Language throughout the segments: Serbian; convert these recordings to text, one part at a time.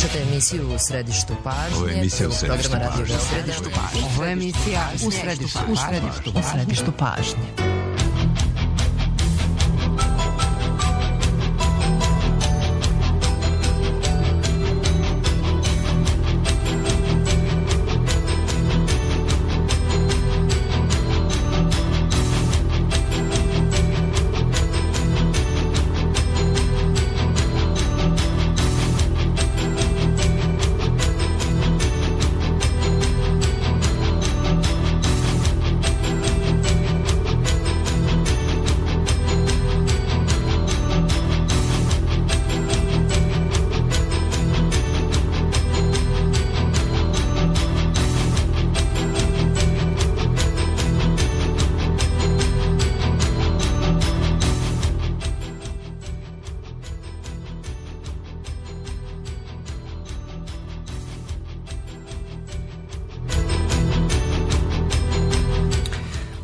Slušate emisiju U središtu pažnje. Ovo je emisija U središtu pažnje. Ovo je emisija U središtu pažnje.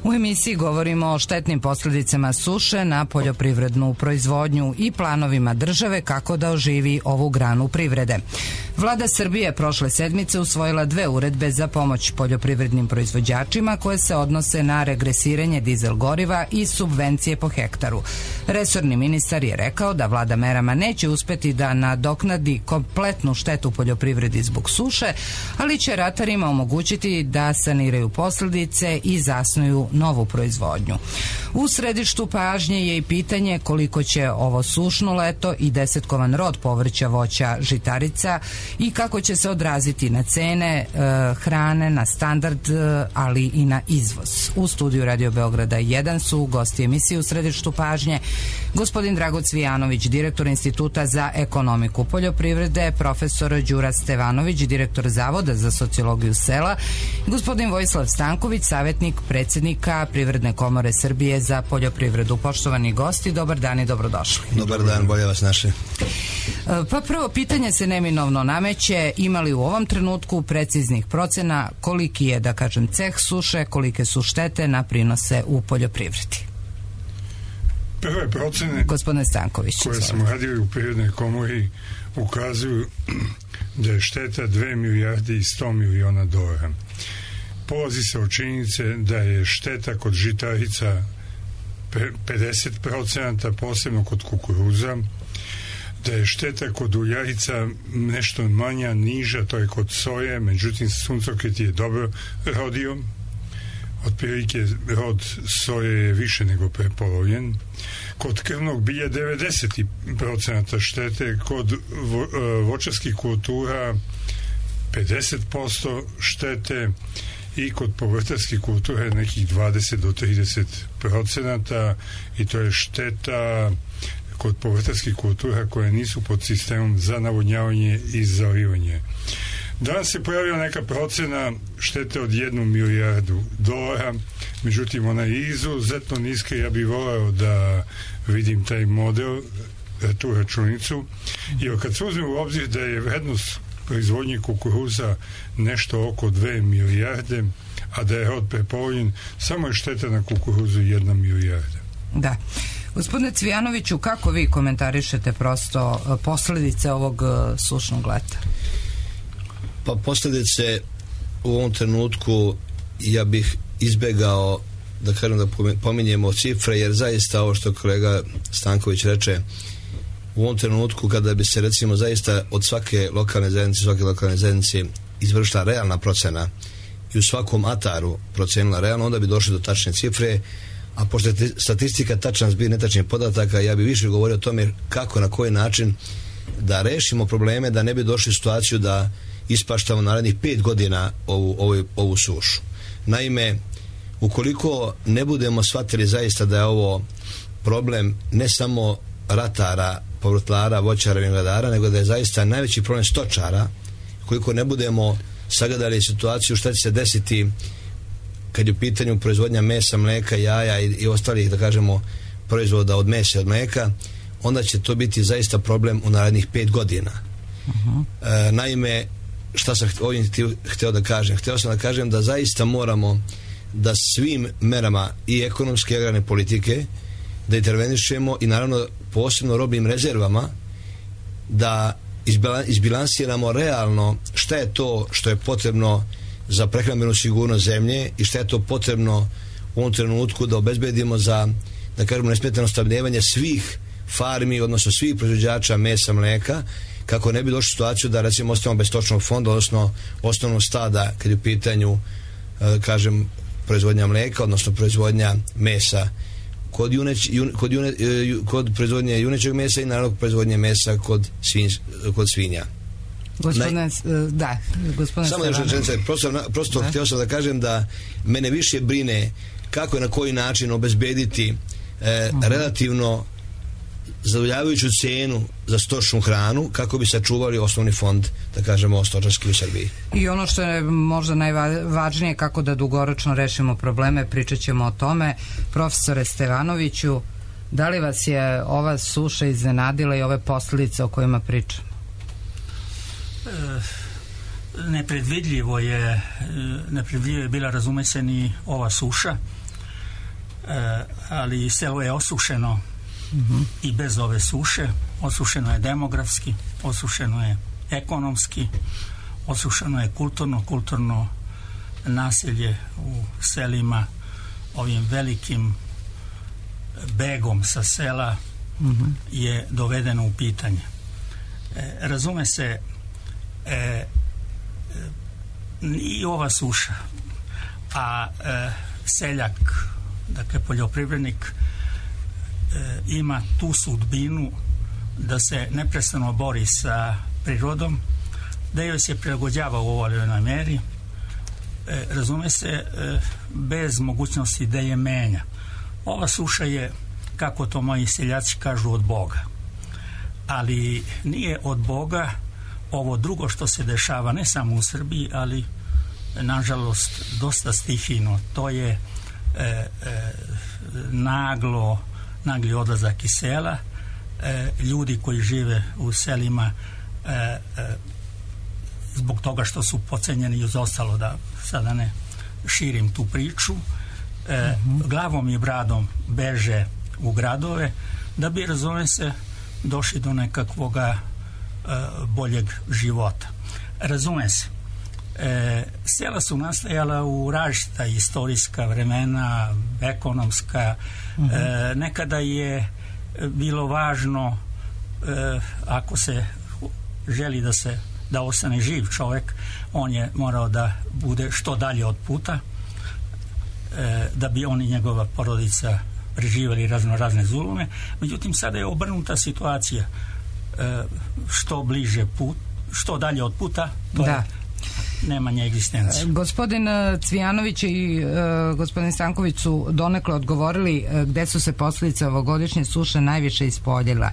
U emisiji govorimo o štetnim posljedicama suše na poljoprivrednu proizvodnju i planovima države kako da oživi ovu granu privrede. Vlada Srbije prošle sedmice usvojila 2 uredbe za pomoć poljoprivrednim proizvođačima koje se odnose na regresiranje dizel goriva i subvencije po hektaru. Resorni ministar je rekao da vlada merama neće uspeti da nadoknadi kompletnu štetu poljoprivredi zbog suše, ali će ratarima omogućiti da saniraju posljedice i zasnuju novu proizvodnju. U središtu pažnje je i pitanje koliko će ovo sušno leto i desetkovan rod povrća, voća, žitarica i kako će se odraziti na cene hrane, na standard, ali i na izvoz. U studiju Radio Beograda 1 su gosti emisije U središtu pažnje gospodin Drago Cvijanović, direktor Instituta za ekonomiku poljoprivrede, profesor Đura Stevanović, direktor Zavoda za sociologiju sela, gospodin Vojislav Stanković, savjetnik predsjednika Privredne komore Srbije za poljoprivredu. Poštovani gosti, dobar dan i dobrodošli. Dobar dan, bolje vas naše. Pa prvo pitanje se neminovno nameće, imali u ovom trenutku preciznih procena koliki je, da kažem, ceh suše, kolike su štete na prinose u poljoprivredi? Prve procene gospodine Stanković, koje smo radili u Privrednoj komori ukazuju da je šteta 2 milijarde i 100 miliona dolara. Polazi se od činjenice da je šteta kod žitarica 50%, posebno kod kukuruza, da je šteta kod uljarica nešto manja, niža, to je kod soje, međutim suncokret je dobro rodio, otprilike rod soje je više nego prepolovljen. Kod krvnog bilja 90% štete, kod voćarskih kultura 50% štete i kod povrtarskih kultura nekih 20 do 30%, i to je šteta kod povrtarskih kultura koje nisu pod sistemom za navodnjavanje i zalivanje. Danas se pojavila neka procena štete od 1 milijardu dolara, međutim ona je izuzetno niska. Ja bih voleo da vidim taj model, tu računicu, jer kad se uzme u obzir da je vrednost proizvodnje kukuruza nešto oko 2 milijarde, a da je rod prepolovljen, samo je šteta na kukuruzu 1 milijarda. Da. Gospodine Cvijanoviću, kako vi komentarišete prosto posljedice ovog sušnog leta? Pa posljedice u ovom trenutku ja bih izbegao da kažem da pominjemo cifre, jer zaista ovo što kolega Stanković reče, u ovom trenutku kada bi se recimo zaista od svake lokalne zajednice izvršila realna procena i u svakom ataru procenila realno, onda bi došli do tačne cifre, a pošto je statistika tačan zbir netačnih podataka, ja bi više govorio o tome kako, na koji način da rešimo probleme, da ne bi došli u situaciju da ispaštamo narednih 5 godina ovu sušu. Naime, ukoliko ne budemo shvatili zaista da je ovo problem ne samo ratara, povrtlara, voćara, vinogradara, nego da je zaista najveći problem stočara, koliko ne budemo sagledali situaciju šta će se desiti kad je u pitanju proizvodnja mesa, mleka, jaja i ostalih, da kažemo, proizvoda od mesa i od mleka, onda će to biti zaista problem u narednih 5 godina. Naime, šta sam ovim hteo da kažem? Hteo sam da kažem da zaista moramo da svim merama i ekonomske i agrarne politike da intervenišemo i naravno posebno robnim rezervama da izbilansiramo realno šta je to što je potrebno za prehrambenu sigurnost zemlje i šta je to potrebno u ovom trenutku da obezbedimo za, da kažemo, nesmetano snabdevanje svih farmi, odnosno svih proizvođača mesa, mlijeka, kako ne bi došli u situaciju da recimo ostavimo bez stočnog fonda, odnosno osnovnog stada kad je u pitanju, kažem, proizvodnja mlijeka, odnosno proizvodnja mesa kod proizvodnje junećeg mesa i naravno proizvodnje mesa kod svinja. Gospodine samo još rečenica, prosto htio sam da kažem da mene više brine kako i na koji način obezbediti relativno zadovoljavajuću cenu za stočnu hranu kako bi sačuvali osnovni fond, da kažemo, stočarski u Srbiji. I ono što je možda najvažnije, kako da dugoročno rešimo probleme, pričat ćemo o tome. Profesore Stevanoviću, da li vas je ova suša iznenadila i ove posljedice o kojima pričamo? Nepredvidljivo je bila, razume se, ni ova suša, ali selo je osušeno i bez ove suše. Osušeno je demografski, osušeno je ekonomski, osušeno je kulturno naselje u selima, ovim velikim begom sa sela je dovedeno u pitanje. Razume se, i ova suša, a seljak, dakle poljoprivrednik, ima tu sudbinu da se neprestano bori sa prirodom, da joj se prilagođava u ovoj meri, razume se, bez mogućnosti da je menja. Ova suša je, kako to moji seljaci kažu, od Boga. Ali nije od Boga ovo drugo što se dešava ne samo u Srbiji, ali nažalost dosta stihijno. To je nagli odlazak iz sela, ljudi koji žive u selima zbog toga što su pocenjeni i uz ostalo, da sada ne širim tu priču, glavom i bradom beže u gradove da bi, razume se, došli do nekakvoga boljeg života. Razume se, sela su nastajala u različita istorijska vremena, ekonomska. Nekada je bilo važno, ako se želi da ostane živ čovjek, on je morao da bude što dalje od puta, da bi on i njegova porodica preživjeli razne zulume. Međutim, sada je obrnuta situacija. Što bliže put, što dalje od puta, to je nemanje egzistencije. Gospodin Cvijanović i gospodin Stanković su donekle odgovorili gde su se posljedice ovogodišnje suše najviše ispoljila.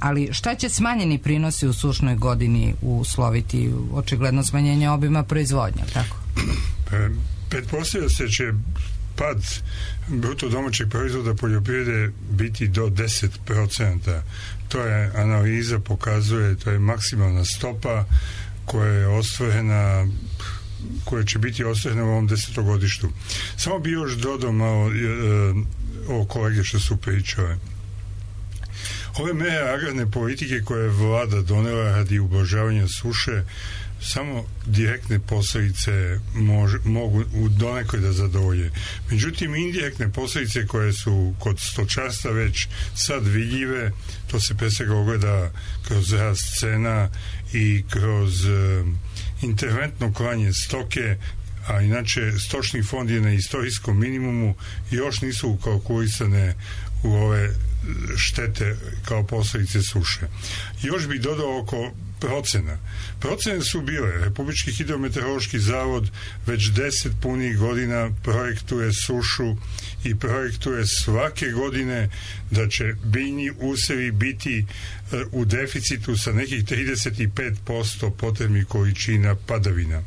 Ali šta će smanjeni prinosi u sušnoj godini usloviti? Očigledno smanjenje obima proizvodnja, tako? Pretpostavlja se će pad bruto domaćeg proizvoda poljoprivrede biti do 10%. To je analiza pokazuje, to je maksimalna stopa koja je ostvarena, koja će biti ostvarena u ovom 10-godištu. Samo bi još dodao malo o kolege što su pričale. Ove mere agrarne politike koje je vlada donela radi ublažavanja suše samo direktne posljedice mogu u donekle da zadovolje. Međutim, indirektne posljedice koje su kod stočarstva već sad vidljive, to se pre svega ogleda kroz rast cena i kroz interventno klanje stoke, a inače stočni fond je na istorijskom minimumu i još nisu ukalkulisane u ove štete kao posljedice suše. Još bih dodao oko procena. Procene su bile. Republički hidrometeorološki zavod već 10 punih godina projektuje sušu i projektuje svake godine da će biljni usevi biti u deficitu sa nekih 35% potrebnih količina padavina.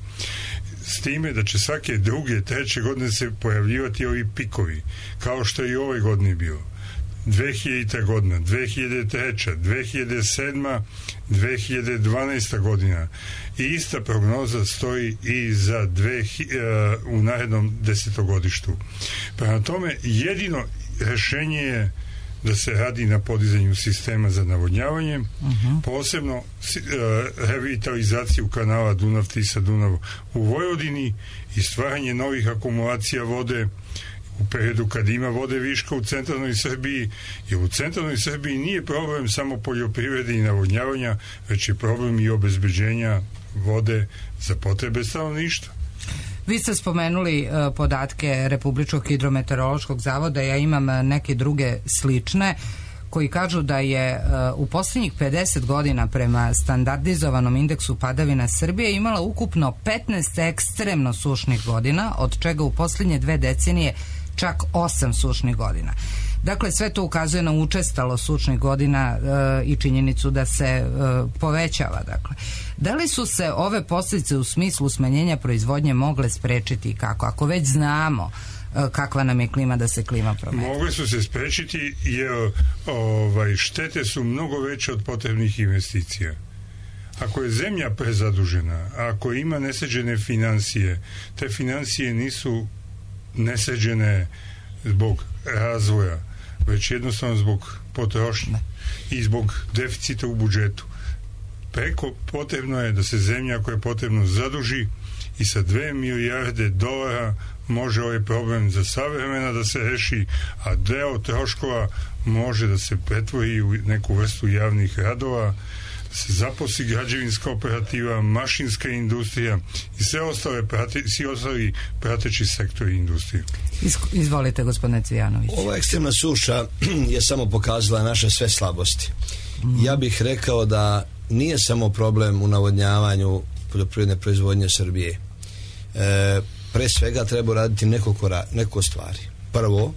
S time da će svake druge, treće godine se pojavljivati ovi pikovi, kao što je i ove godine bilo. 2000. godina, 2003. 2007. 2012. godina i ista prognoza stoji i za u narednom 10-godištu. Prema tome, jedino rešenje je da se radi na podizanju sistema za navodnjavanje, posebno revitalizaciju kanala Dunav-Tisa-Dunav u Vojvodini i stvaranje novih akumulacija vode u periodu kad ima vode viška u centralnoj Srbiji, jer u centralnoj Srbiji nije problem samo poljoprivrede i navodnjavanja, već je problem i obezbeđenja vode za potrebe stanovništva. Vi ste spomenuli podatke Republičkog hidrometeorološkog zavoda, ja imam neke druge slične koji kažu da je u posljednjih 50 godina prema standardizovanom indeksu padavina Srbije imala ukupno 15 ekstremno sušnih godina, od čega u posljednje 2 decenije čak 8 sušnih godina. Dakle, sve to ukazuje na učestalo sušnih godina i činjenicu da se povećava. Dakle, da li su se ove posljedice u smislu smanjenja proizvodnje mogle sprečiti i kako? Ako već znamo kakva nam je klima, da se klima promeni. Mogle su se sprečiti jer štete su mnogo veće od potrebnih investicija. Ako je zemlja prezadužena, ako ima nesređene financije, te financije nisu nesređene zbog razvoja, već jednostavno zbog potrošnje i zbog deficita u budžetu. Preko potrebno je da se zemlja koja je potrebno zaduži i sa 2 milijarde dolara može ovaj problem za savremena da se reši, a deo troškova može da se pretvori u neku vrstu javnih radova, da se zaposli građevinska operativa, mašinska industrija i svi ostali prateći sektori industrije. Izvolite, gospodine Cvijanović. Ova ekstremna suša je samo pokazala naše sve slabosti. Ja bih rekao da nije samo problem u navodnjavanju poljoprivredne proizvodnje Srbije. Pre svega treba raditi nekoliko stvari. Prvo,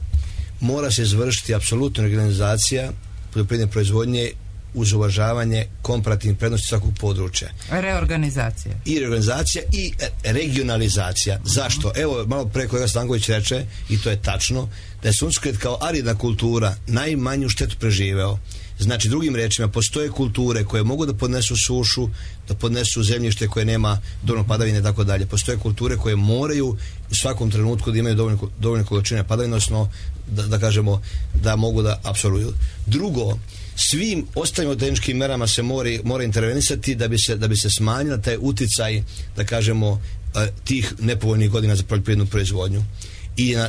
mora se izvršiti apsolutna organizacija poljoprivredne proizvodnje uz uvažavanje komparativnih prednosti svakog područja. Reorganizacija. I reorganizacija i regionalizacija. Zašto? Evo, malo pre kolega Stanković reče, i to je tačno, da je suncokrет kao aridna kultura najmanju štetu preživeo. Znači, drugim rečima, postoje kulture koje mogu da podnesu sušu, da podnesu zemljište koje nema dovoljno padavine i tako dalje. Postoje kulture koje moraju u svakom trenutku da imaju dovoljne količine padavine, odnosno da kažemo da mogu da apsorbuju. Drugo, svim ostalim tehničkim merama se mora intervenisati da bi se smanjila taj uticaj, da kažemo, tih nepovoljnih godina za poljoprivrednu proizvodnju.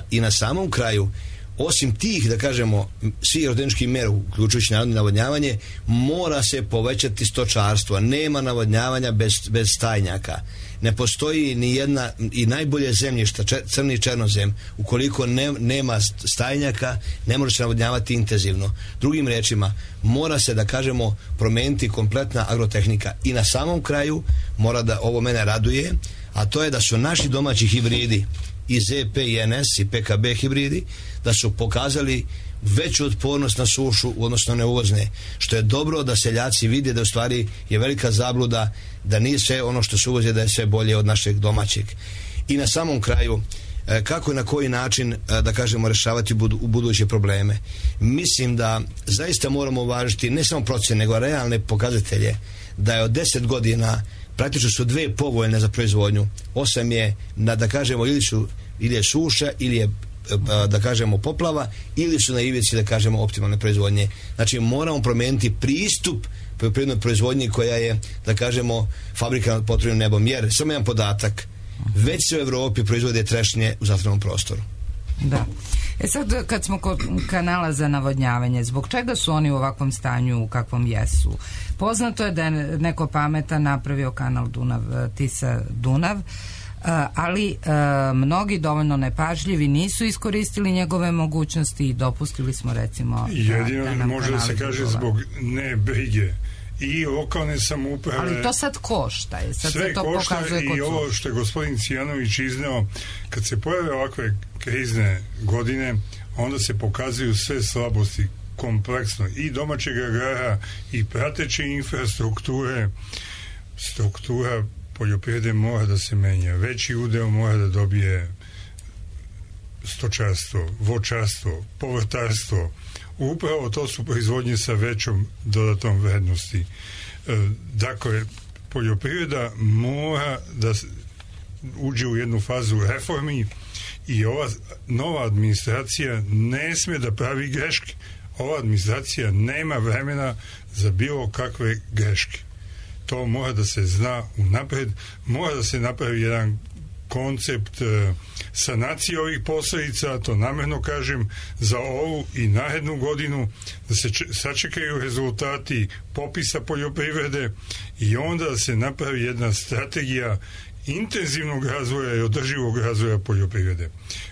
I na samom kraju, osim tih, da kažemo, svih tehničkih mera, uključujući narodno navodnjavanje, mora se povećati stočarstvo. Nema navodnjavanja bez stajnjaka. Ne postoji ni jedna, i najbolje zemljišta, crni černozem, ukoliko nema stajnjaka, ne može se navodnjavati intenzivno. Drugim rečima, mora se, da kažemo, promeniti kompletna agrotehnika. I na samom kraju, mora da, ovo mene raduje, a to je da su naši domaći hibridi i ZP i NS i PKB hibridi, da su pokazali veću otpornost na sušu u odnosno na uvozne, što je dobro da seljaci vide da u stvari je velika zabluda da nije sve ono što se uvozi da je sve bolje od našeg domaćeg. I na samom kraju, kako i na koji način, da kažemo, rešavati u buduće probleme. Mislim da zaista moramo uvažiti ne samo procene, nego realne pokazatelje, da je od 10 godina praktično su 2 povoljne za proizvodnju, 8 je, da kažemo, ili je suša, ili je, da kažemo, poplava, ili su na ivici, da kažemo, optimalne proizvodnje. Znači, moramo promijeniti pristup poljoprivrednoj proizvodnji koja je, da kažemo, fabrika nad potrebnim nebom. Jer, samo jedan podatak, već se u Evropi proizvode trešnje u zatvorenom prostoru. Da. Sad, kad smo kod kanala za navodnjavanje, zbog čega su oni u ovakvom stanju u kakvom jesu? Poznato je da je neko pametan napravio kanal Dunav-Tisa-Dunav, ali mnogi dovoljno nepažljivi nisu iskoristili njegove mogućnosti i dopustili smo, recimo, jedino može da se kaže zbog nebrige i lokalne samouprave. Ali to sad košta. Sve to košta i ovo što je gospodin Cvijanović izneo, kad se pojave ovakve krizne godine, onda se pokazuju sve slabosti kompleksno i domaćeg agrara i prateće infrastrukture. Struktura poljoprivrede mora da se menja. Veći udeo mora da dobije stočarstvo, voćarstvo, povrtarstvo. Upravo to su proizvodnje sa većom dodatnom vrednosti. Dakle, poljoprivreda mora da uđe u jednu fazu reformi i ova nova administracija ne sme da pravi greške. ova administracija nema vremena za bilo kakve greške. To mora da se zna unapred, mora da se napravi jedan koncept sanacije ovih posljedica, to namjerno kažem, za ovu i narednu godinu, da se sačekaju rezultati popisa poljoprivrede i onda da se napravi jedna strategija intenzivnog razvoja i održivog razvoja poljoprivrede.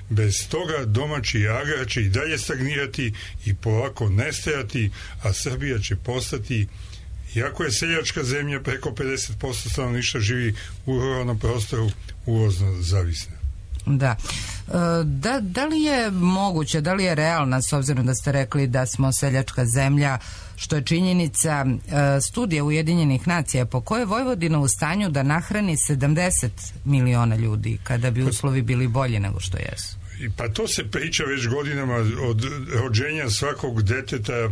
Bez toga domaći agrar će i dalje stagnirati i polako nestajati, a Srbija će postati, iako je seljačka zemlja, preko 50% stanovništva živi u ruralnom prostoru, uvozno zavisna. Da. Da li je moguće, da li je realna, s obzirom da ste rekli da smo seljačka zemlja, što je činjenica, studija Ujedinjenih nacija po kojoj je Vojvodina u stanju da nahrani 70 miliona ljudi kada bi uslovi bili bolji nego što jesu? Pa to se priča već godinama od rođenja svakog deteta.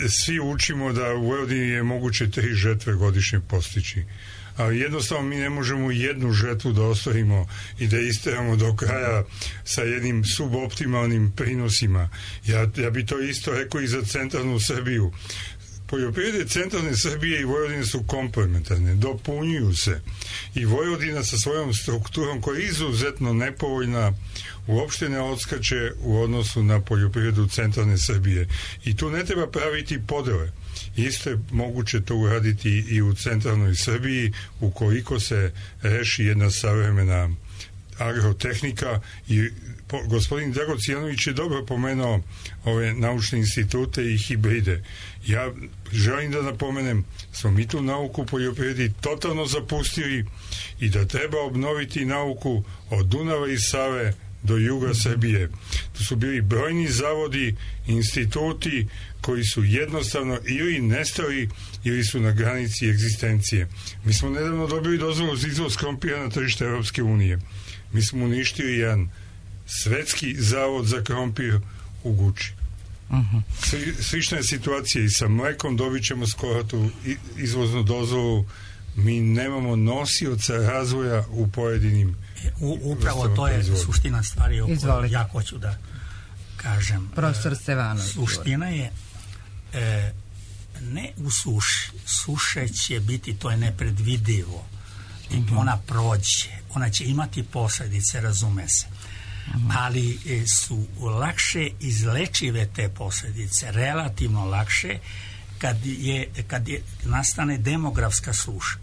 Svi učimo da u Vojvodini je moguće 3 žetve godišnje postići. Ali jednostavno mi ne možemo jednu žetvu da ostavimo i da isteramo do kraja sa jednim suboptimalnim prinosima. Ja bi to isto rekao i za centralnu Srbiju. Poljoprivrede centralne Srbije i Vojvodine su komplementarne, dopunjuju se. I Vojvodina sa svojom strukturom, koja je izuzetno nepovoljna, uopšte ne odskače u odnosu na poljoprivredu centralne Srbije. I tu ne treba praviti podele. Isto je moguće to uraditi i u centralnoj Srbiji ukoliko se reši jedna savremena agrotehnika i gospodin Dragocijanović je dobro pomenuo ove naučne institute i hibride. Ja želim da napomenem, smo mi tu nauku u poljoprivredi totalno zapustili i da treba obnoviti nauku od Dunava i Save do juga Srbije. Tu su bili brojni zavodi, instituti koji su jednostavno ili nestali ili su na granici egzistencije. Mi smo nedavno dobili dozvolu za izvoz krompira na tržište Europske unije. Mi smo uništili jedan svetski zavod za krompir u Guči. Slična je situacija i sa mlekom, dobit ćemo skoro tu izvoznu dozvolu. Mi nemamo nosioca razvoja u pojedinim upravo to je suština stvari o kojoj ja hoću da kažem. Profesor Stevanović. Suština je ne u suši. Suše će biti, to je nepredvidivo. Ona prođe. Ona će imati posljedice, razume se. Ali su lakše izlečive te posljedice, relativno lakše kad nastane demografska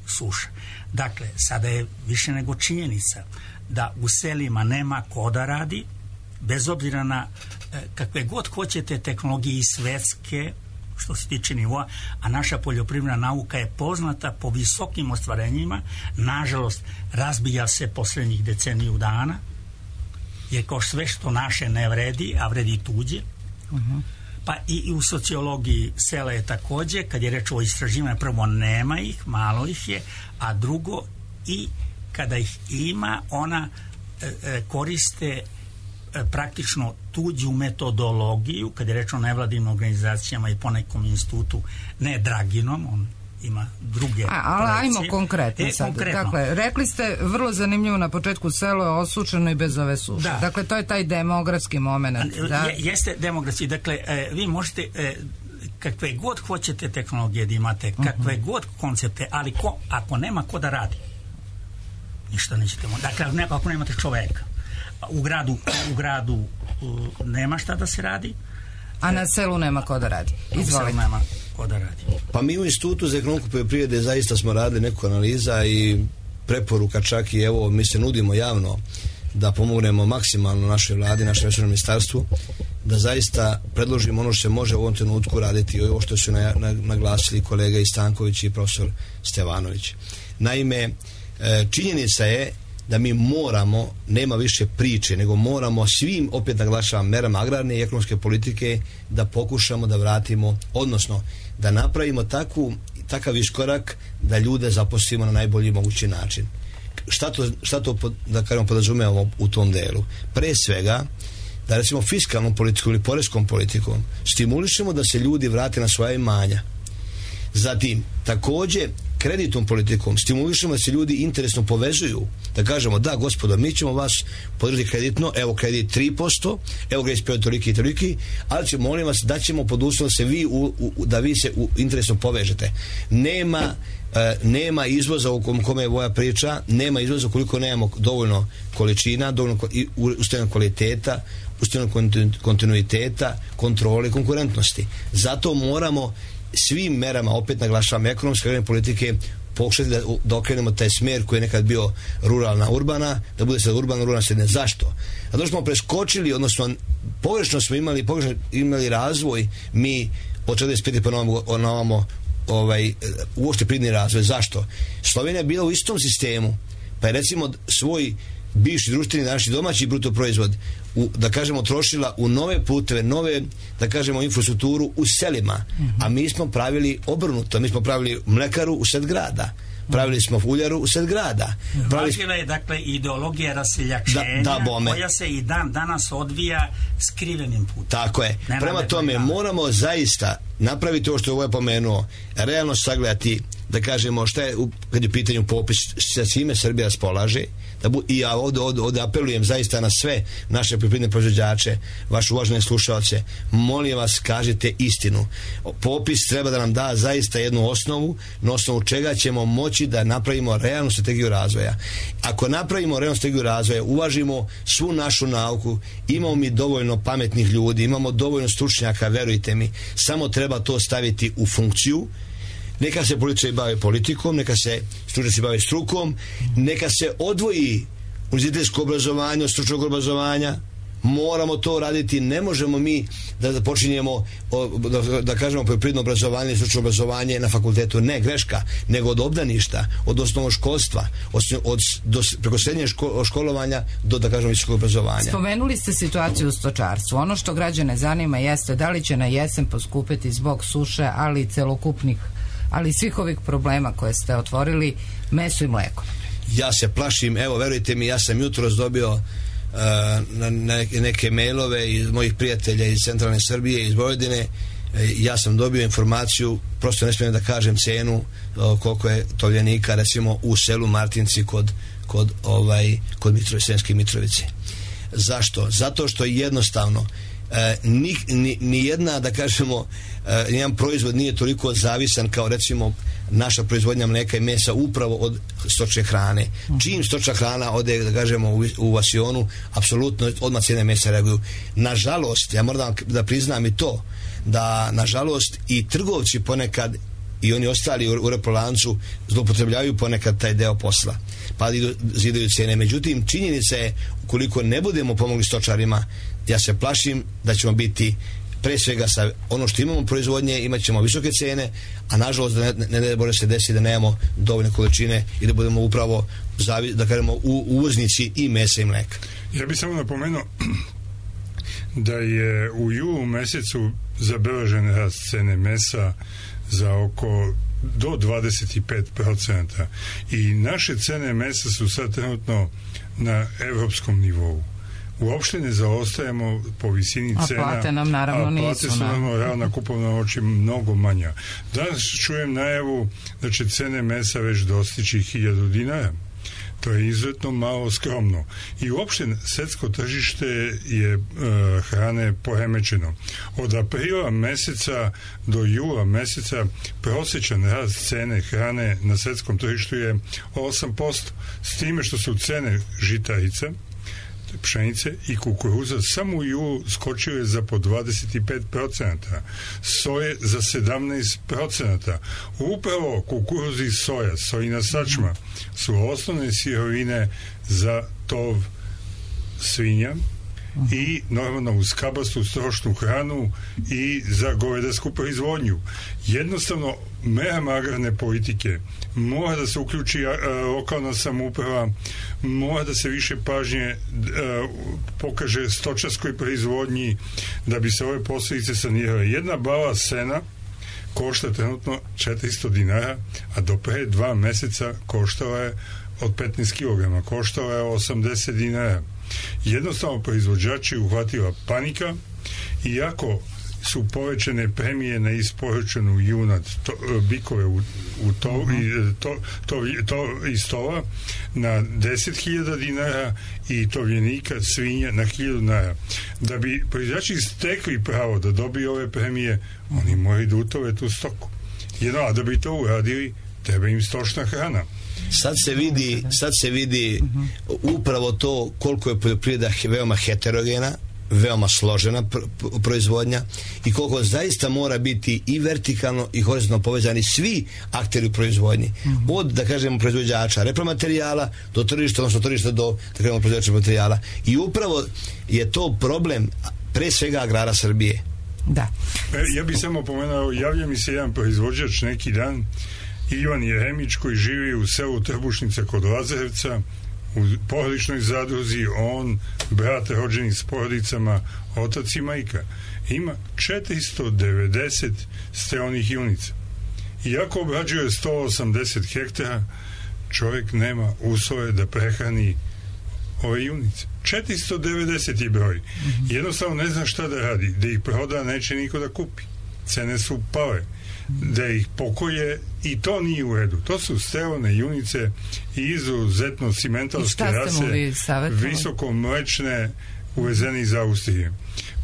suša. Dakle, sada je više nego činjenica da u selima nema ko da radi, bez obzira na kakve god hoćete tehnologije i svetske, što se tiče nivoa, a naša poljoprivredna nauka je poznata po visokim ostvarenjima. Nažalost, razbija se posljednjih deceniju dana, jer kao sve što naše ne vredi, a vredi tuđe. Pa i u sociologiji sela je također, kad je reč o istraživanju, prvo nema ih, malo ih je, a drugo i kada ih ima, ona koriste praktično tuđu metodologiju, kad je reč o nevladinim organizacijama i ponekom institutu, ne Draginom, on ima druge ali ajmo konkretno sad. Konkretno. Dakle, rekli ste vrlo zanimljivo na početku, selo je osušeno i bez ove suše. Da. Dakle, to je taj demografski moment. Da? Jeste demografski. Dakle, vi možete kakve god hoćete tehnologije da imate, kakve god koncepte, ali ako nema ko da radi, ništa nećete moći. Dakle, ako nemate čoveka, u gradu nema šta da se radi, a na selu nema ko da radi. Izvolite. Nema ko da radi. Pa mi u Institutu za ekonomku poljoprivrede zaista smo radili neku analiza i preporuka, čak i evo mi se nudimo javno da pomognemo maksimalno našoj vladi, našem resornom ministarstvu, da zaista predložimo ono što se može u ovom trenutku raditi, ovo što su naglasili kolega i Stanković i profesor Stevanović. Naime, činjenica je da mi moramo, nema više priče, nego moramo svim, opet naglašavam, merama agrarne i ekonomske politike da pokušamo da vratimo, odnosno da napravimo takav iskorak da ljude zaposlimo na najbolji mogući način. Šta to da kažemo podrazumevamo u tom delu? Pre svega da recimo fiskalnom politikom ili poreskom politikom stimulišemo da se ljudi vrate na svoja imanja. Zatim, također, kreditnom politikom stimulišemo da se ljudi interesno povezuju, da kažemo da gospodo, mi ćemo vas podržati kreditno, evo kredit 3%, evo grejs period toliki i toliki, ali molim vas da ćemo pod uslovom da vi se interesno povežete. Nema izvoza u kome je Voja priča, nema izvoza ukoliko nemamo dovoljno količina, dovoljno ustavnog kvaliteta, ustavnog kontinuiteta, kontrole i konkurentnosti. Zato moramo svim merama, opet naglašavam, ekonomske politike, pokušati da okrenemo taj smjer koji je nekad bio ruralna urbana, da bude sad urbana ruralna sredina. Zašto? Zato smo preskočili, odnosno pogrešno smo imali razvoj, mi od 45. pa novamo uopšte pridni razvoj. Zašto? Slovenija je bila u istom sistemu, pa je recimo svoj bivši društveni, naši domaći bruto proizvod da kažemo trošila u nove puteve, nove, da kažemo, infrastrukturu u selima, a mi smo pravili obrnuto, mi smo pravili mlekaru u sred grada, pravili smo uljaru u sred grada. Važila je dakle ideologija raseljačenja koja se i dan danas odvija skrivenim putem. Tako je. Prema tome moramo zaista napraviti ovo što je ovo pomenuo, realno sagledati, da kažemo šta je kad je u pitanju popis, sa čime Srbija raspolaže, i ja ovdje apelujem zaista na sve naše poljoprivredne proizvođače, vaše uvažene slušalce, molim vas, kažite istinu. Popis treba da nam da zaista jednu osnovu, na osnovu čega ćemo moći da napravimo realnu strategiju razvoja. Ako napravimo realnu strategiju razvoja, uvažimo svu našu nauku, imamo mi dovoljno pametnih ljudi, imamo dovoljno stručnjaka, verujte mi, samo treba to staviti u funkciju. Neka se političari bave politikom, neka se stručnjaci bave strukom, neka se odvoji univerzitetsko obrazovanje od stručnog obrazovanja. Moramo to raditi, ne možemo mi da počinjemo da kažemo poljoprivredno obrazovanje i stručno obrazovanje na fakultetu, ne, greška, nego od obdaništa, od osnovnog školstva, preko srednjeg školovanja do, da kažemo, visokog obrazovanja. Spomenuli ste situaciju u stočarstvu. Ono što građane zanima jeste da li će na jesen poskupiti zbog suše, ali i svih ovih problema koje ste otvorili, meso i mleko. Ja se plašim, evo verujte mi, ja sam jutros dobio neke mailove iz mojih prijatelja iz centralne Srbije, iz Vojvodine. Ja sam dobio informaciju, prosto ne smijem da kažem cenu koliko je tovljenika recimo u selu Martinci kod Sremske Mitrovice. Zašto? Zato što jednostavno ni jedna, da kažemo, nijedan proizvod nije toliko zavisan kao recimo naša proizvodnja mleka i mesa upravo od stočne hrane. Čim stočna hrana ode, da kažemo, u vasionu, apsolutno odmah cijene mesa reaguju. Nažalost, ja moram da priznam i to, da nažalost i trgovci ponekad i oni ostali u reprolancu zloupotrebljavaju ponekad taj deo posla, pa zidaju cijene. Međutim, činjenica je, ukoliko ne budemo pomogli stočarima, ja se plašim da ćemo biti pre svega sa ono što imamo proizvodnje, imat ćemo visoke cene, a nažalost ne može se desiti da nemamo dovoljne količine i da budemo upravo, da kažemo, uvoznici i mesa i mleka. Ja bih samo napomenuo da je u julu mesecu zabeležen rast cene mesa za oko do 25% i naše cene mesa su sad trenutno na evropskom nivou. Uopšte ne zaostajemo po visini cena, a plate nam naravno nisu. A plate su naravno realna kupovna moć mnogo manja. Danas čujem najavu da će cene mesa već dostići 1000 dinara. To je izuzetno malo skromno. I uopšte svetsko tržište je hrane poremećeno. Od aprila meseca do jula meseca prosječan rast cene hrane na svetskom tržištu je 8%. S time što su cene žitarica, pšenice i kukuruza samo u julu skočile za po 25%, soje za 17%. Upravo kukuruzi i soja, sojina sačma su osnovne sirovine za tov svinja i normalno uz kabastu stočnu hranu i za govedarsku proizvodnju. Jednostavno, merama agrarne politike mora da se uključi lokalna samouprava, mora da se više pažnje pokaže stočarskoj proizvodnji da bi se ove posljedice sanirale. Jedna bala sena košta trenutno 400 dinara, a do pre 2 meseca koštala je od 15 kg, koštala je 80 dinara. Jednostavno proizvođači uhvatila panika, iako su povećane premije na isporučenu junad bikove iz tova na 10.000 dinara i tovljenika svinja na 1.000 dinara. Da bi proizvođači stekli pravo da dobiju ove premije, oni moraju da utove tu stoku. A da bi to uradili, treba im stočna hrana. Sad se vidi upravo to koliko je poljoprivreda veoma heterogena, veoma složena proizvodnja i koliko zaista mora biti i vertikalno i horizontalno povezani svi akteri u proizvodnji. Od, da kažemo, proizvođača repromaterijala do tržišta, odnosno tržišta do, da kažemo, proizvođača materijala. I upravo je to problem pre svega agrara Srbije. Da. Ja bih samo pomenuo, javlja mi se jedan proizvođač neki dan, Ivan Jeremić, koji živi u selu Trbušnica kod Lazarevca, u porodičnoj zadruzi, on, brat rođeni s porodicama, otac i majka, ima 490 steonih junica. Iako obrađuje 180 hektara, čovjek nema uslove da prehrani ove junice. 490 je broj. Jednostavno ne zna šta da radi. Da ih proda, neće niko da kupi. Cene su pale. Da ih pokoje, i to nije u redu. To su steone junice i izuzetno simentalske rase, visoko mlečne, uvezene iz Austrije.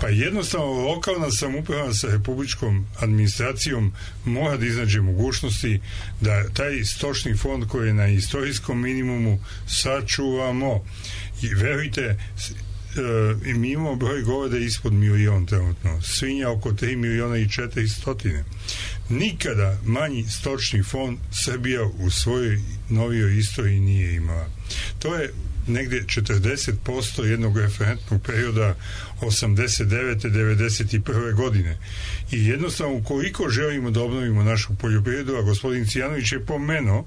Pa jednostavno lokalna samouprava sa republičkom administracijom mora da iznađe mogućnosti da taj stočni fond koji je na istorijskom minimumu sačuvamo. I verujte, mi imamo broj goveda ispod 1 milion trenutno, svinja oko 3.400.000. Nikada manji stočni fond Srbija u svojoj novijoj istoriji nije imala. To je negde 40% jednog referentnog perioda 89. 91. godine. I jednostavno, ukoliko želimo da obnovimo našu poljoprivredu, a gospodin Cijanović je pomenuo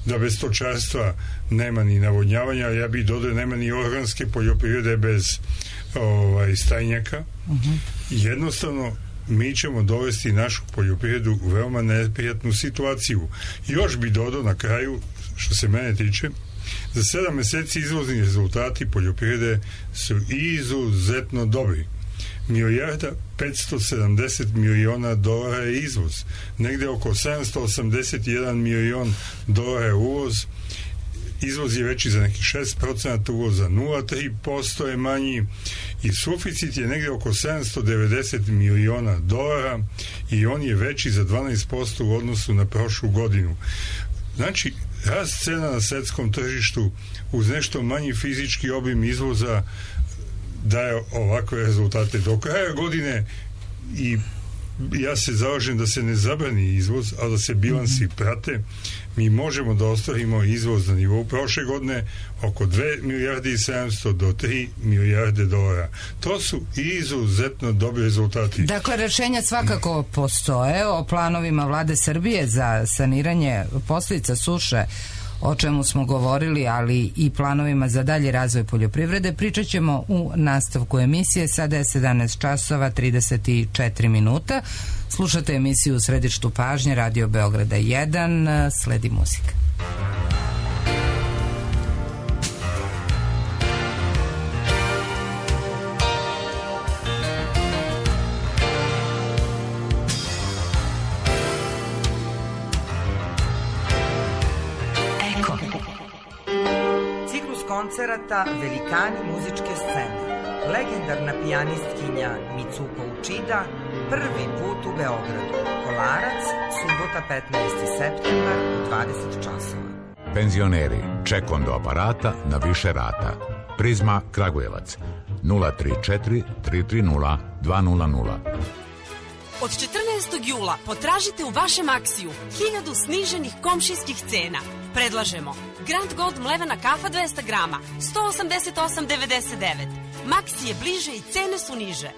da bez stočarstva nema ni navodnjavanja, ja bih dodao nema ni organske poljoprivrede bez stajnjaka. Jednostavno, mi ćemo dovesti našu poljoprivredu u veoma neprijatnu situaciju. Još bi dodao na kraju, što se mene tiče, za 7 meseci izvozni rezultati poljoprivrede su izuzetno dobri. $1.570 miliona je izvoz. Negde oko 781 milion dolara je uvoz. Izvoz je veći za nekih 6%, uvoza 0,3% je manji i suficit je negde oko 790 miliona dolara i on je veći za 12% u odnosu na prošlu godinu. Znači, rast cena na svetskom tržištu uz nešto manji fizički obim izvoza daje ovakve rezultate. Do kraja godine i ja se zalažem da se ne zabrani izvoz, a da se bilansi prate, mi možemo da ostvarimo izvoz na nivou prošle godine oko 2.700.000.000 do 3 milijarde dolara. To su izuzetno dobri rezultati. Dakle, rešenja svakako postoje o planovima Vlade Srbije za saniranje posljedica suše, o čemu smo govorili, ali i planovima za dalji razvoj poljoprivrede. Pričat ćemo u nastavku emisije. Sada je 17 časova 34 minuta. Slušate emisiju U središtu pažnje Radio Beograda 1. Sledi muzika. Koncerata Velikani muzičke scene. Legendarna pijanistkinja Mitsuko Uchida prvi put u Beogradu. Kolarac, subota 15. septembar u 20 časova. Penzioneri, ček on do aparata na više rata. Prizma Kragujevac 034 330 200. Od 14. jula potražite u vašem Maksiju 1000 sniženih komšijskih cena. Predlažemo Grand Gold mlevena kafa 200 grama 188,99. Maksi je bliže i cene su niže.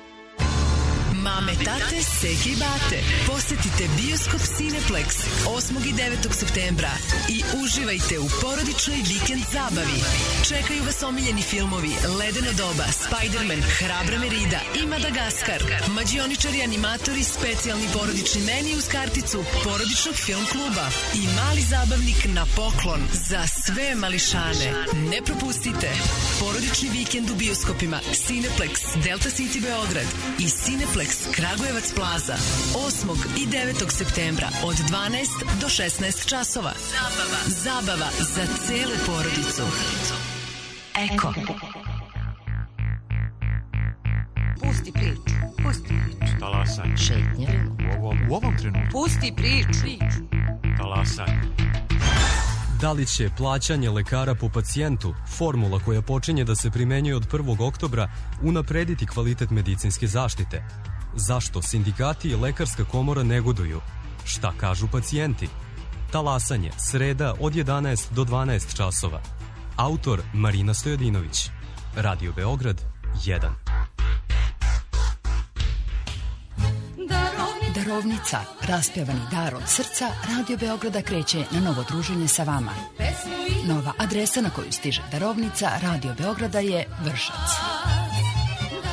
Mame, tate, seke i bate, posetite Bioskop Cineplex 8. i 9. septembra i uživajte u porodičnoj vikend zabavi. Čekaju vas omiljeni filmovi Ledeno doba, Spider-Man, Hrabra Merida i Madagaskar. Mađioničari, animatori, specijalni porodični meni uz karticu porodičnog film kluba i mali zabavnik na poklon za sve mališane. Ne propustite porodični vikend u bioskopima Cineplex, Delta City Beograd i Cineplex Cineplex Kragujevac Plaza 8. i 9. septembra od 12 do 16 časova. Zabava za celu porodicu. Eko. Pusti priču. Talasaj. Šetnje. U ovom trenutku. Pusti priču. Talasaj. Da li će plaćanje lekara po pacijentu, formula koja počinje da se primenjuje od 1. oktobra, unaprediti kvalitet medicinske zaštite? Zašto sindikati i lekarska komora negoduju? Šta kažu pacijenti? Talasanje, sreda od 11 do 12 časova. Autor Marina Stojadinović. Radio Beograd 1. Darovnica, raspjevani dar od srca, Radio Beograda kreće na novo druženje sa vama. Nova adresa na koju stiže darovnica Radio Beograda je Vršac.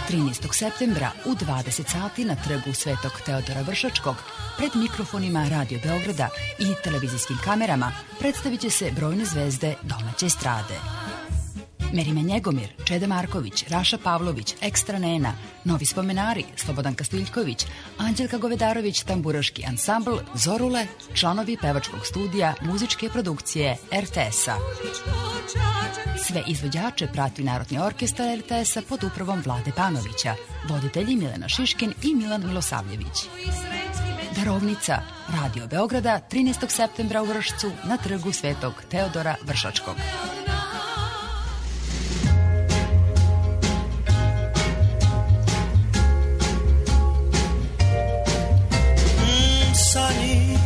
13. septembra u 20 sati na trgu Svetog Teodora Vršačkog pred mikrofonima Radio Beograda i televizijskim kamerama predstavit će se brojne zvezde domaće estrade. Merime Njegomir, Čeda Marković, Raša Pavlović, Ekstra Nena, Novi spomenari, Slobodan Kastiljković, Anđelka Govedarović, Tamburaški ansambl, Zorule, članovi pevačkog studija muzičke produkcije RTS-a. Sve izvođače prati Narodni orkestar RTS-a pod upravom Vlade Panovića, voditelji Milena Šiškin i Milan Milosavljević. Darovnica, Radio Beograda, 13. septembra u Vršcu na trgu Svetog Teodora Vršačkog. Sunny,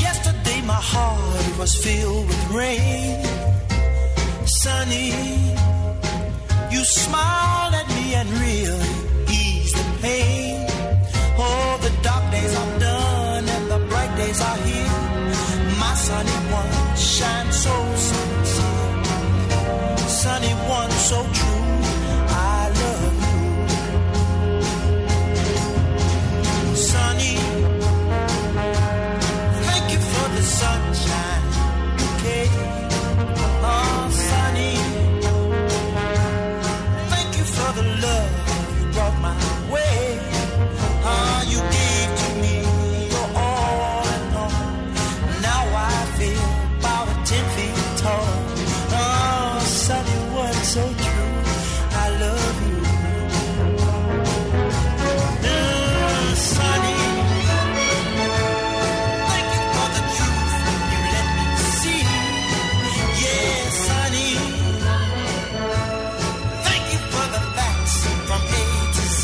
yesterday my heart was filled with rain. Sunny, you smiled at me and really eased the pain. Oh, the dark days are done and the bright days are here. My sunny one shines so sincere. Sunny one so true, I love you. Sunny, thank you for the sunshine bouquet. Oh, sunny, thank you for the love you brought my way. Oh, you gave to me your all and all. Now I feel about 10 feet tall. Oh, sunny one so true, I love you. Sunny, thank you for the truth you let me see. Yeah, sunny, thank you for the facts from A to Z.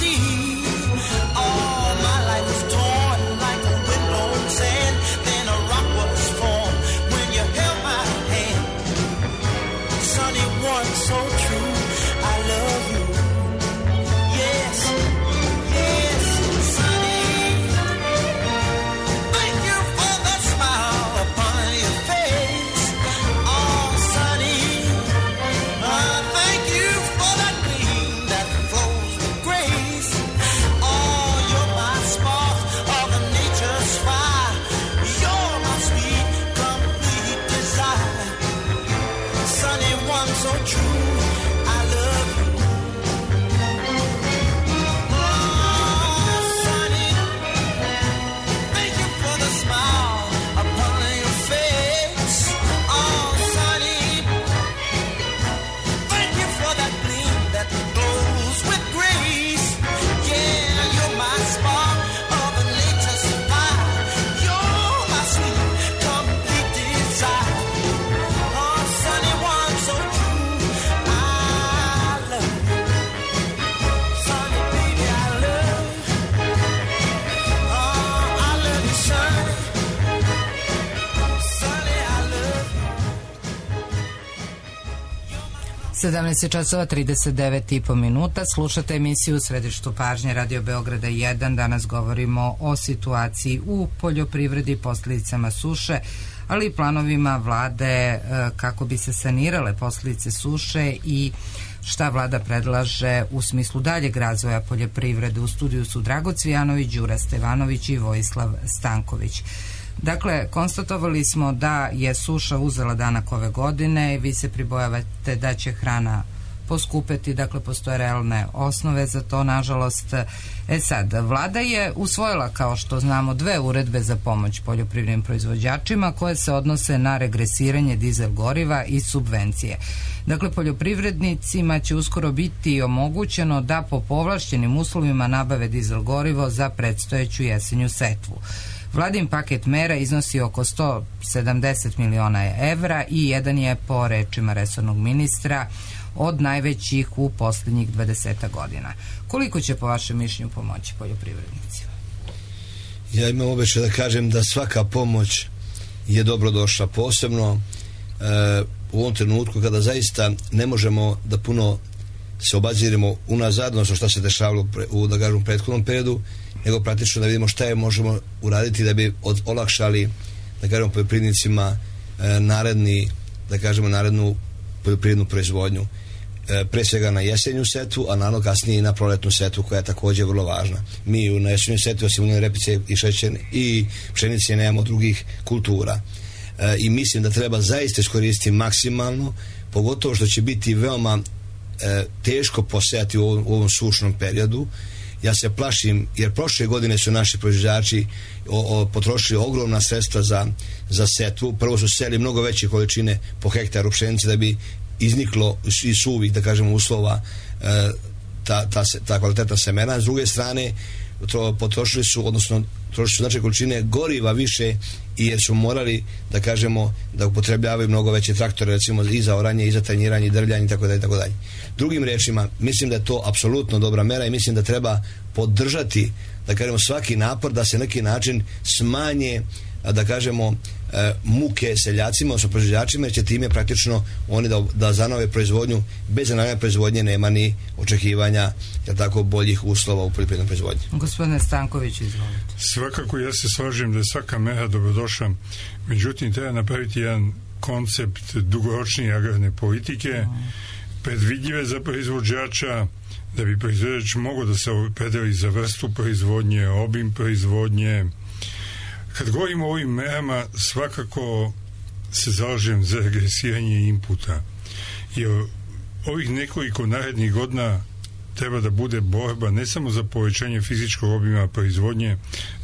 All my life was torn like a windblown sand. Then a rock was formed when you held my hand. Sunny one so true, I love you. Yes, yes, sunny. Thank you for the smile upon your face. Oh, sunny. Thank you for that gleam that flows with grace. Oh, you're my spark of nature's fire. You're my sweet, complete desire. Sunny one so true, I love you. Oh, sunny, thank you for the smile upon your face. Oh, sunny, thank you for that gleam that glows with grace. Yeah, you're my spark of nature's fire. You're my sweet, complete desire. Oh, sunny one so true, I love you. Sunny baby, I love you. Oh, I love you, sunny. Sunny, I love you. 17 časova 39,5 minuta. Slušate emisiju u središtu pažnje Radio Beograda 1. Danas govorimo o situaciji u poljoprivredi, posljedicama suše, ali i planovima vlade kako bi se sanirale posljedice suše i šta vlada predlaže u smislu daljeg razvoja poljoprivrede. U studiju su Drago Cvijanović, Đura Stevanović i Vojislav Stanković. Dakle, konstatovali smo da je suša uzela danak ove godine i vi se pribojavate da će hrana poskupeti, dakle postoje realne osnove za to, nažalost. Sad, vlada je usvojila, kao što znamo, 2 uredbe za pomoć poljoprivrednim proizvođačima koje se odnose na regresiranje dizel goriva i subvencije. Dakle, poljoprivrednicima će uskoro biti omogućeno da po povlašćenim uslovima nabave dizel gorivo za predstojeću jesenju setvu. Vladin paket mera iznosi oko 170 miliona evra i jedan je, po rečima resornog ministra, od najvećih u posljednjih 20 godina. Koliko će po vašem mišljenju pomoći poljoprivrednicima? Ja imam običaj da kažem da svaka pomoć je dobro došla, posebno u ovom trenutku kada zaista ne možemo da puno se obaziremo unazad, odnosno šta se dešavalo u, da kažem, prethodnom periodu, nego praktično da vidimo šta je možemo uraditi da bi olakšali, da kažemo, poljoprivrednicima narednu poljoprivrednu proizvodnju, pre svega na jesenju setvu, a naravno kasnije i na proletnu setvu, koja je također vrlo važna. Mi na jesenju setvu, osim uljene repice i šećerne i pšenice, nemamo drugih kultura. I mislim da treba zaista iskoristiti maksimalno, pogotovo što će biti veoma teško posejati u ovom sušnom periodu. Ja se plašim, jer prošle godine su naši proizvođači potrošili ogromna sredstva za setvu. Prvo su seli mnogo veće količine po hektaru pšenice da bi izniklo iz suvih, da kažemo, uslova ta kvalitetna semena. S druge strane, potrošili su značajne količine goriva više, i jer su morali, da kažemo, da upotrebljavaju mnogo veće traktore, recimo i za oranje, i za tanjiranje, i drvljanje, itd. Drugim rečima, mislim da je to apsolutno dobra mera i mislim da treba podržati, da kažemo, svaki napor da se na neki način smanje, da kažemo, muke seljacima, odnosno proizvođačima, jer će time praktično oni da zanove proizvodnju. Bez zanove proizvodnje nema ni očekivanja, jer tako, boljih uslova u poljoprivrednoj proizvodnji. Gospodine Stanković, izvolite. Svakako ja se slažem da je svaka mera dobrodošla, međutim treba napraviti jedan koncept dugoročnije agrarne politike, predvidljive za proizvođača, da bi proizvođač mogao da se opredeli za vrstu proizvodnje, obim proizvodnje. Kad govorimo o ovim merama, svakako se zalažem za regresiranje inputa, jer ovih nekoliko narednih godina treba da bude borba ne samo za povećanje fizičkog obima proizvodnje,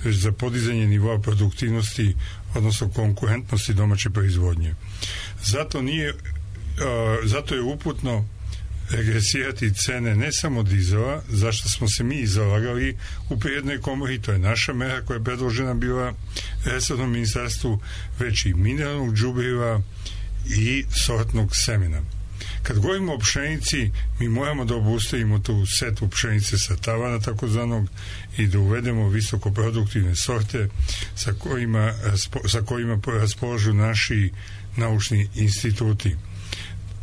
već za podizanje nivoa produktivnosti, odnosno konkurentnosti domaće proizvodnje. Zato je uputno regresirati cene ne samo dizela, zašto smo se mi zalagali u Privrednoj komori, to je naša mera koja je predložena bila resornom ministarstvu, već i mineralnog đubriva i sortnog semena. Kad govorimo o pšenici, mi moramo da obustavimo tu setvu pšenice sa tavana takozvanog i da uvedemo visokoproduktivne sorte sa kojima raspolažu naši naučni instituti.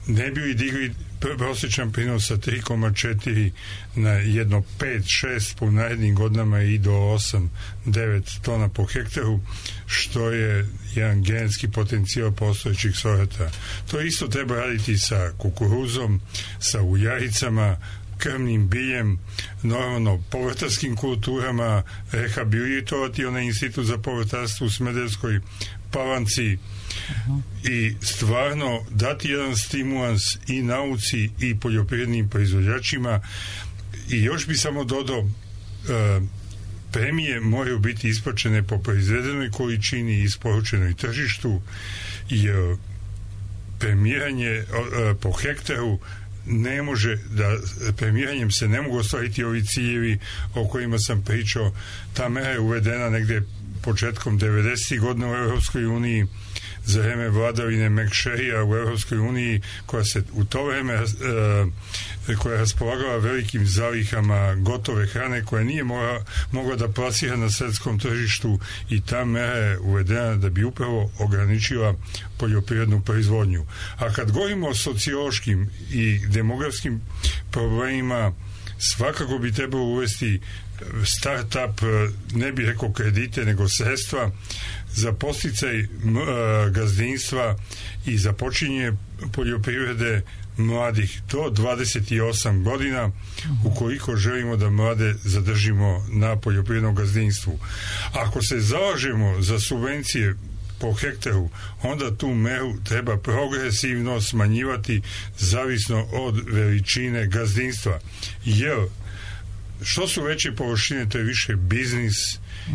Ne bi li digli prosječan prinos sa 3,4 na jedno 5-6 po narednim godinama i do 8-9 tona po hektaru, što je jedan genetski potencijal postojećih sorata. To isto treba raditi sa kukuruzom, sa uljaricama, krmnim biljem, normalno povrtarskim kulturama, rehabilitovati onaj institut za povrtarstvo u Smederevskoj Palanci i stvarno dati jedan stimulans i nauci i poljoprivrednim proizvođačima. I još bi samo dodao, premije moraju biti isplaćene po proizvedenoj količini i isporučenoj tržištu, jer premijeranje po hektaru ne može da, premiranjem se ne mogu ostvariti ovi ciljevi o kojima sam pričao. Ta mera je uvedena negde početkom 90. godina u Europskoj uniji za vreme vladavine McSherrya u Europskoj uniji, koja se u to vreme koja je raspolagala velikim zalihama gotove hrane koja nije mogla da plasira na svetskom tržištu, i ta mera je uvedena da bi upravo ograničila poljoprivrednu proizvodnju. A kad govorimo o sociološkim i demografskim problemima, svakako bi trebalo uvesti start-up, ne bih rekao kredite, nego sredstva za podsticaj gazdinstva i za počinje poljoprivrede mladih do 28 godina, ukoliko želimo da mlade zadržimo na poljoprivrednom gazdinstvu. Ako se zalažemo za subvencije po hektaru, onda tu meru treba progresivno smanjivati zavisno od veličine gazdinstva. Jer što su veće površine, to je više biznis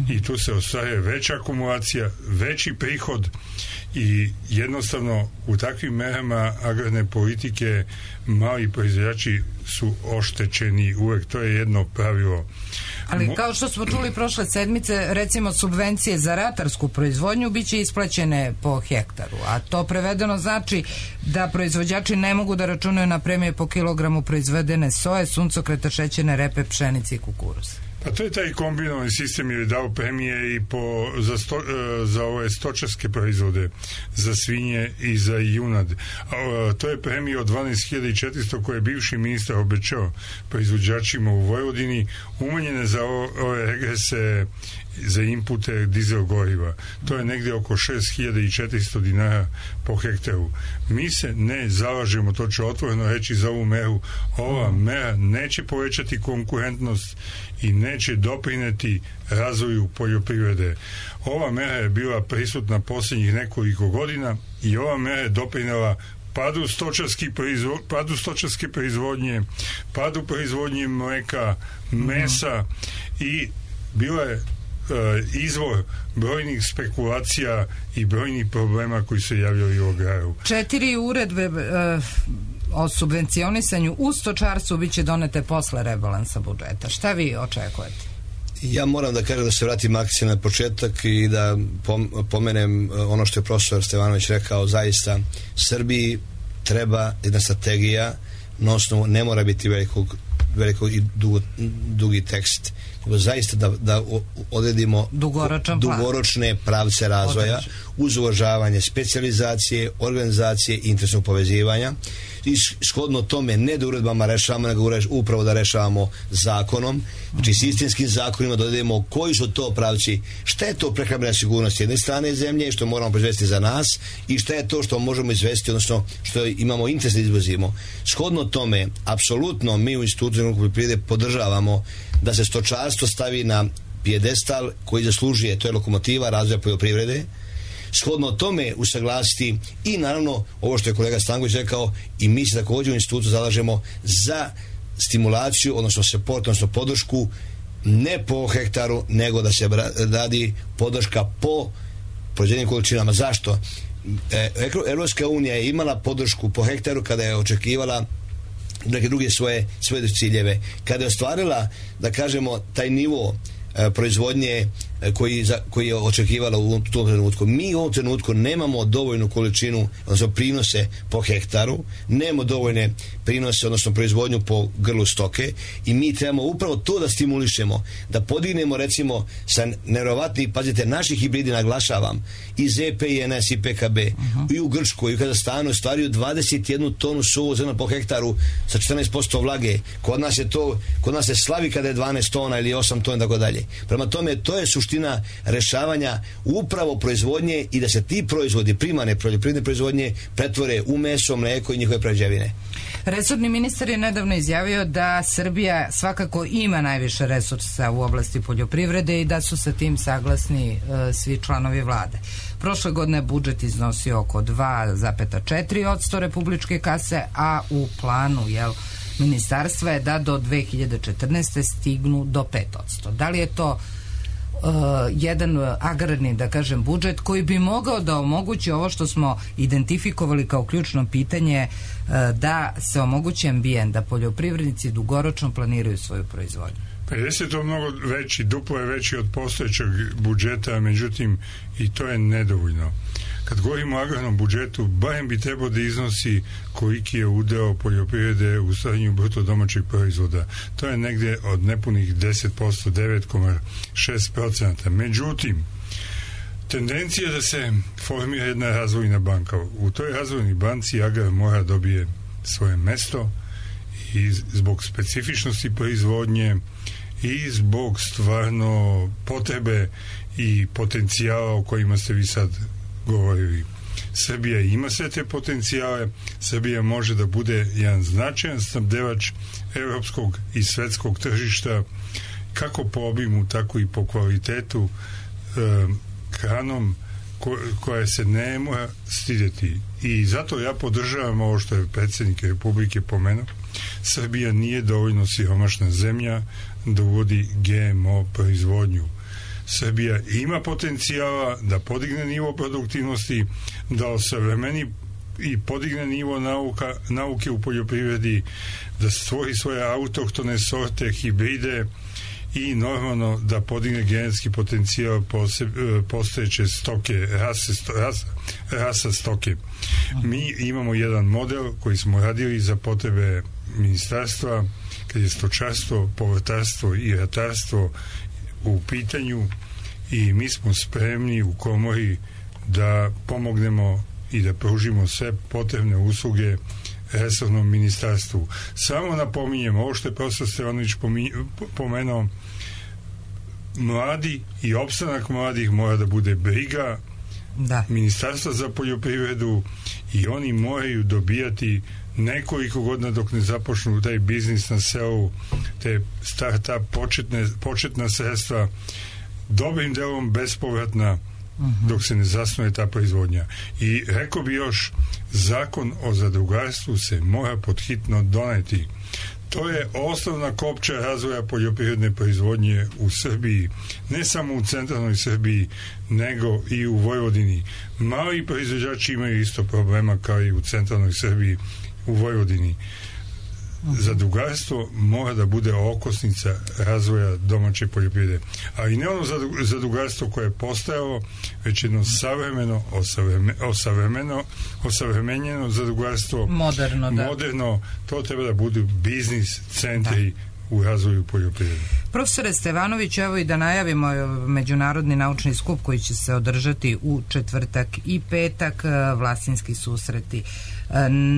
i tu se ostvaruje veća akumulacija, veći prihod i jednostavno u takvim merama agrarne politike mali proizvođači su oštećeni uvek, to je jedno pravilo. Ali kao što smo čuli prošle sedmice, recimo subvencije za ratarsku proizvodnju biće isplaćene po hektaru, a to prevedeno znači da proizvođači ne mogu da računaju na premije po kilogramu proizvedene soje, suncokreta, šećerne repe, pšenice i kukuruza. Pa to je taj kombinovani sistem jer je dao premije i za ove stočarske proizvode, za svinje i za junad. To je premije od 12.400 koje je bivši ministar obećao proizvođačima u Vojvodini, umanjene za ove regrese za inpute dizel goriva. To je negdje oko 6.400 dinara po hektaru. Mi se ne zalažemo, to ću otvoreno reći, za ovu meru. Ova mera neće povećati konkurentnost i neće doprineti razvoju poljoprivrede. Ova mera je bila prisutna posljednjih nekoliko godina i ova mera je doprinela padu stočarske proizvodnje, padu proizvodnje mleka, mesa i bila je izvor brojnih spekulacija i brojnih problema koji se javljaju u agraru. 4 uredbe o subvencionisanju u stočarstvu biće donete posle rebalansa budžeta. Šta vi očekujete? Ja moram da kažem da se vratim akciju na početak i da pomenem ono što je profesor Stevanović rekao. Zaista Srbiji treba jedna strategija, na osnovu ne mora biti veliko i dugi tekst, nego zaista da odredimo dugoročne pravce razvoja uz uvažavanje specijalizacije, organizacije i interesnog povezivanja. I shodno tome ne da uredbama rešavamo, nego upravo da rešavamo zakonom, znači sistemskim zakonima da odredimo koji su to pravci, šta je to prehrambena sigurnost jedne strane zemlje, što moramo proizvesti za nas i šta je to što možemo izvesti, odnosno što imamo interes da izvozimo. Shodno tome, apsolutno mi u Institutu poljoprivrede podržavamo da se stočarstvo stavi na pijedestal koji zaslužuje, to je lokomotiva razvoja poljoprivrede. Shodno tome usaglasiti i naravno ovo što je kolega Stanković rekao, i mi se također u institutu zalažemo za stimulaciju, odnosno support, odnosno podršku ne po hektaru, nego da se radi podrška po proizvedenim količinama. Zašto? Evropska unija je imala podršku po hektaru kada je očekivala neke druge svoje ciljeve. Kada je ostvarila, da kažemo, taj nivo proizvodnje koji je očekivala u tom trenutku. Mi u ovom trenutku nemamo dovoljnu količinu, odnosno prinose po hektaru, nemamo dovoljne prinose, odnosno proizvodnju po grlu stoke i mi trebamo upravo to da stimulišemo, da podignemo recimo sa nevjerovatnih, pazite, naših hibridi, naglašavam, i ZP, i NS, i PKB, i u Grčkoj, i u Kazahstanu ostvaruju 21 tonu suvog zrna po hektaru sa 14% vlage. Kod nas se slavi kada je 12 tona ili 8 tona, tako dalje. Prema tome, to je suština rešavanja upravo proizvodnje i da se ti proizvodi, primarne poljoprivredne proizvodnje, pretvore u meso, mleko i njihove prerađevine. Resorni ministar je nedavno izjavio da Srbija svakako ima najviše resursa u oblasti poljoprivrede i da su sa tim saglasni svi članovi vlade. Prošle godine budžet iznosio oko 2,4% republičke kase, a u planu ministarstva je da do 2014. stignu do 5%. Da li je to jedan agrarni, da kažem, budžet koji bi mogao da omogući ovo što smo identifikovali kao ključno pitanje, da se omogući ambijent, da poljoprivrednici dugoročno planiraju svoju proizvodnju? Pa jeste to mnogo veći, duplo je veći od postojećeg budžeta, međutim i to je nedovoljno. Kad govorimo o agrarnom budžetu, barem bi trebao da iznosi koliki je udeo poljoprivrede u stvaranju bruto domaćeg proizvoda. To je negdje od nepunih 10%, 9,6%. Međutim, tendencija je da se formira jedna razvojna banka. U toj razvojnoj banci agrar mora dobije svoje mesto i zbog specifičnosti proizvodnje i zbog stvarno potrebe i potencijala o kojima ste vi sad govorili. Srbija ima sve te potencijale, Srbija može da bude jedan značajan snabdevač evropskog i svetskog tržišta, kako po obimu, tako i po kvalitetu, hranom koja se ne mora stidjeti. I zato ja podržavam ovo što je predsjednik Republike pomenuo. Srbija nije dovoljno siromašna zemlja da uvodi GMO proizvodnju. Srbija ima potencijala da podigne nivo produktivnosti, da osavremeni i podigne nivo nauke u poljoprivredi, da stvori svoje autohtone sorte, hibride i normalno da podigne genetski potencijal postojeće stoke, rasa stoke. Mi imamo jedan model koji smo radili za potrebe ministarstva kad je stočarstvo, povrtarstvo i ratarstvo u pitanju i mi smo spremni u komori da pomognemo i da pružimo sve potrebne usluge resornom ministarstvu. Samo napominjem, ovo što je profesor Stevanović pomenuo, mladi i opstanak mladih mora da bude briga ministarstva za poljoprivredu i oni moraju dobijati nekoliko godina dok ne započnu taj biznis na selu, te start-up početna sredstva, dobrim delom bespovratna dok se ne zasnuje ta proizvodnja. I rekao bi još, zakon o zadrugarstvu se mora podhitno doneti. To je osnovna kopča razvoja poljoprivredne proizvodnje u Srbiji, ne samo u centralnoj Srbiji, nego i u Vojvodini. Mali proizvođači imaju isto problema kao i u centralnoj Srbiji, u Vojvodini. Zadrugarstvo mora da bude okosnica razvoja domaće poljoprivrede. A i ne ono zadrugarstvo koje je postojalo, već jedno savremeno, osavremenjeno zadrugarstvo. Moderno, to treba da budu biznis centri u razvoju poljoprivrede. Profesore Stevanović, evo i da najavimo međunarodni naučni skup koji će se održati u četvrtak i petak, Vlasinski susreti.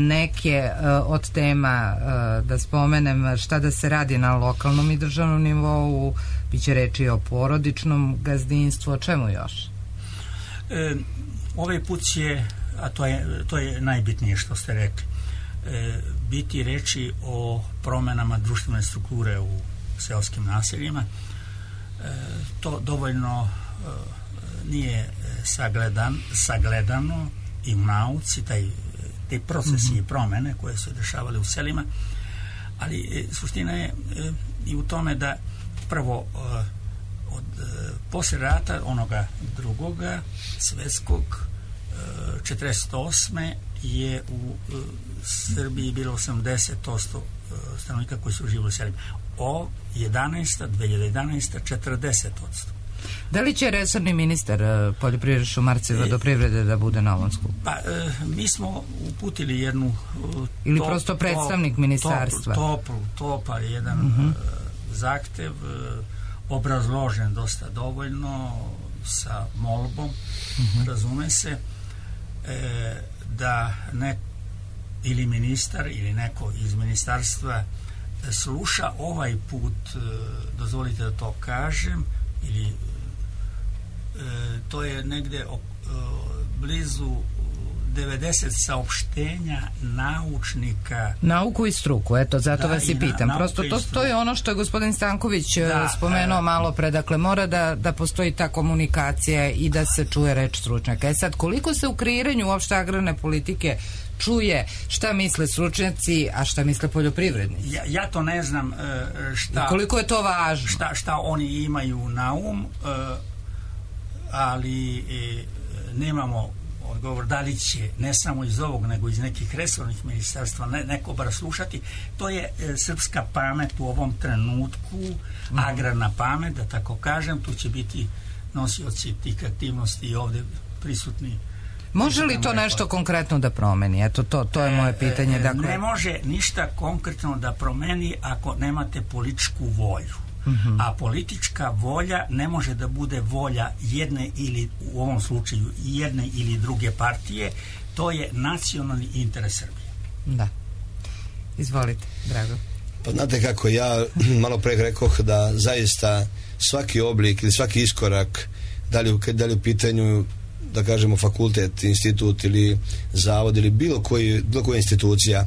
Neke od tema da spomenem, šta da se radi na lokalnom i državnom nivou, biće reči o porodičnom gazdinstvu, o čemu još? Ovaj put će, a to je najbitnije što ste rekli, biti reči o promenama društvene strukture u seoskim naseljima. To dovoljno nije sagledano i u nauci, te procesi i promene koje su dešavale u selima, ali suština je i u tome da prvo posle rata onoga drugoga svetskog 48. je u Srbiji bilo 80% stanovnika koji su živjeli u selima. 2011. 40%. Da li će resorni ministar poljoprivrede, šumarstva i vodoprivrede da bude na ovom skupu? Pa, mi smo uputili jednu ili prosto predstavnik ministarstva? Topar jedan zahtev, obrazložen dosta dovoljno, sa molbom, razume se, da ili ministar ili neko iz ministarstva sluša ovaj put, dozvolite da to kažem, ili to je negde blizu 90 saopštenja naučnika. Nauku i struku, eto, zato vas i pitam. Prosto to je ono što je gospodin Stanković spomenuo malo pre, dakle mora da postoji ta komunikacija i da se čuje reč stručnjaka. Sad, koliko se u kreiranju uopšte agrarne politike čuje šta misle stručnjaci, a šta misle poljoprivrednici? Ja to ne znam šta... Koliko je to važno? Šta oni imaju na ali nemamo odgovor da li će, ne samo iz ovog, nego iz nekih resornih ministarstva neko bar slušati. To je srpska pamet u ovom trenutku, agrarna pamet, da tako kažem. Tu će biti nosioci tih aktivnosti i ovde prisutni. Može li to nešto konkretno da promeni? Eto, to je moje pitanje. Dakle... Ne može ništa konkretno da promeni ako nemate političku volju. A politička volja ne može da bude volja jedne ili, u ovom slučaju, jedne ili druge partije. To je nacionalni interes Srbije. Da. Izvolite, Drago. Pa znate kako, ja malo pre rekoh da zaista svaki oblik ili svaki iskorak, da li u pitanju, da kažemo, fakultet, institut ili zavod ili bilo koja institucija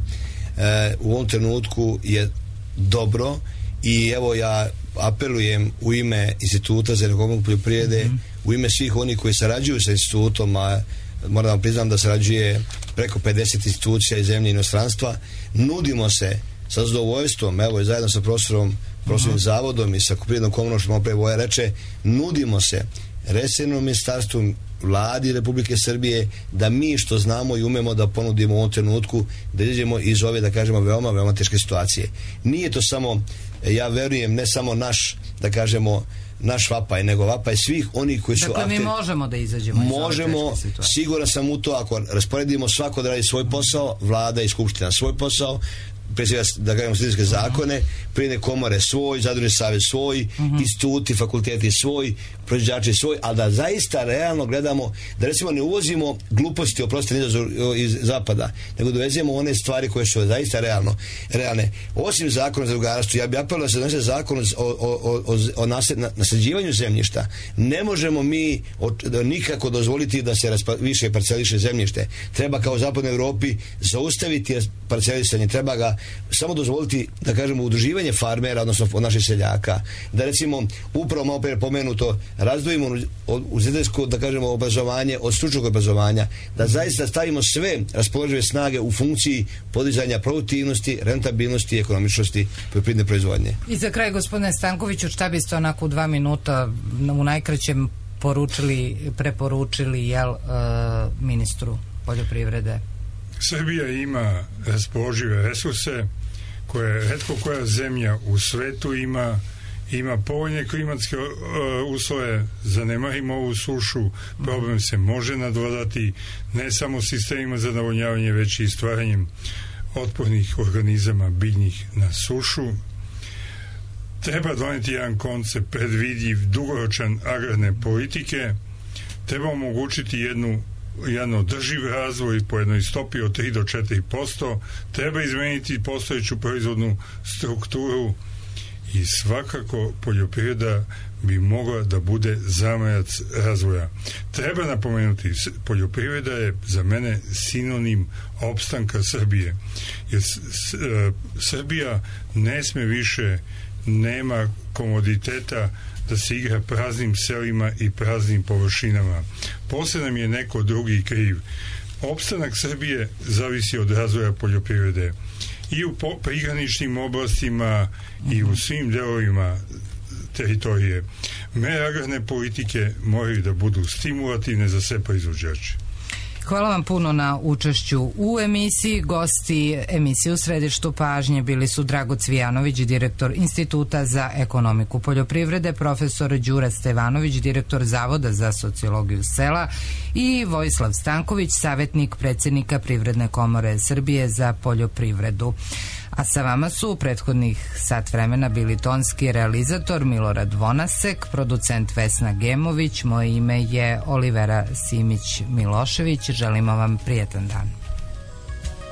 u ovom trenutku je dobro i evo ja apelujem u ime Instituta za ekonomiju poljoprivrede, u ime svih onih koji sarađuju sa institutom, a moram vam priznam da sarađuje preko 50 institucija iz zemlje i inostranstva, nudimo se sa zadovoljstvom, evo i zajedno sa profesorom zavodom i sa Poljoprivrednom komorom, što malo pre Voja reče, nudimo se resornom ministarstvu, Vladi Republike Srbije, da mi što znamo i umemo da ponudimo u ovom trenutku, da izađemo iz ove, da kažemo, veoma, veoma teške situacije. Nije to samo, ja verujem, ne samo naš, da kažemo, naš vapaj, nego vapaj svih onih koji su... Dakle, mi možemo da izađemo iz ove teške situacije. Siguran sam u to, ako rasporedimo svako da radi svoj posao, Vlada i Skupština svoj posao, pre svega, da kažemo, sredinske zakone, Privredne komore svoj, Zadružni savez svoj, instituti, fakulteti svoj, proizvođači svoj, ali da zaista realno gledamo, da recimo ne uvozimo gluposti, oprostite, iz zapada, nego dovezemo one stvari koje su zaista realne. Osim zakona za zadrugarstvo, ja bih apelovao da se donese zakon o nasljeđivanju zemljišta. Ne možemo mi nikako dozvoliti da se više parceliše zemljište. Treba kao u zapadnoj Evropi zaustaviti parcelisanje, treba ga samo dozvoliti, da kažemo, udruživanje farmera, odnosno od naših seljaka, da recimo upravo malo pre pomenuto razdvojimo univerzitetsko, da kažemo, obrazovanje od stručnog obrazovanja, da zaista stavimo sve raspoložive snage u funkciji podizanja produktivnosti, rentabilnosti i ekonomičnosti poljoprivredne proizvodnje. I za kraj, gospodine Stankoviću, šta biste onako u 2 minuta u najkraćem preporučili ministru poljoprivrede? Srbija ima raspoložive resurse koje retko koja zemlja u svetu ima povoljne klimatske uslove, zanemarimo ovu sušu, problem se može nadvladati ne samo sistemima za navodnjavanje, već i stvaranjem otpornih organizama biljnih na sušu. Treba doneti jedan koncept predvidljiv, dugoročan agrarne politike, treba omogućiti jedan održiv razvoj po jednoj stopi od 3 do 4%, treba izmeniti postojeću proizvodnu strukturu i svakako poljoprivreda bi mogla da bude zamajac razvoja. Treba napomenuti, poljoprivreda je za mene sinonim opstanka Srbije. Jer Srbija ne sme više, nema komoditeta da se igra praznim selima i praznim površinama. Posle nam je neko drugi kriv. Opstanak Srbije zavisi od razvoja poljoprivrede. I u prigraničnim oblastima i u svim delovima teritorije. Mere agrarne politike moraju da budu stimulativne za sve proizvođače. Hvala vam puno na učešću u emisiji. Gosti emisije U središtu pažnje bili su Drago Cvijanović, direktor Instituta za ekonomiku poljoprivrede, profesor Đura Stevanović, direktor Zavoda za sociologiju sela i Vojislav Stanković, savjetnik predsjednika Privredne komore Srbije za poljoprivredu. A sa vama su u prethodnih sat vremena bili tonski realizator Milorad Vonasek, producent Vesna Gemović, moje ime je Olivera Simić Milošević. Želimo vam prijetan dan.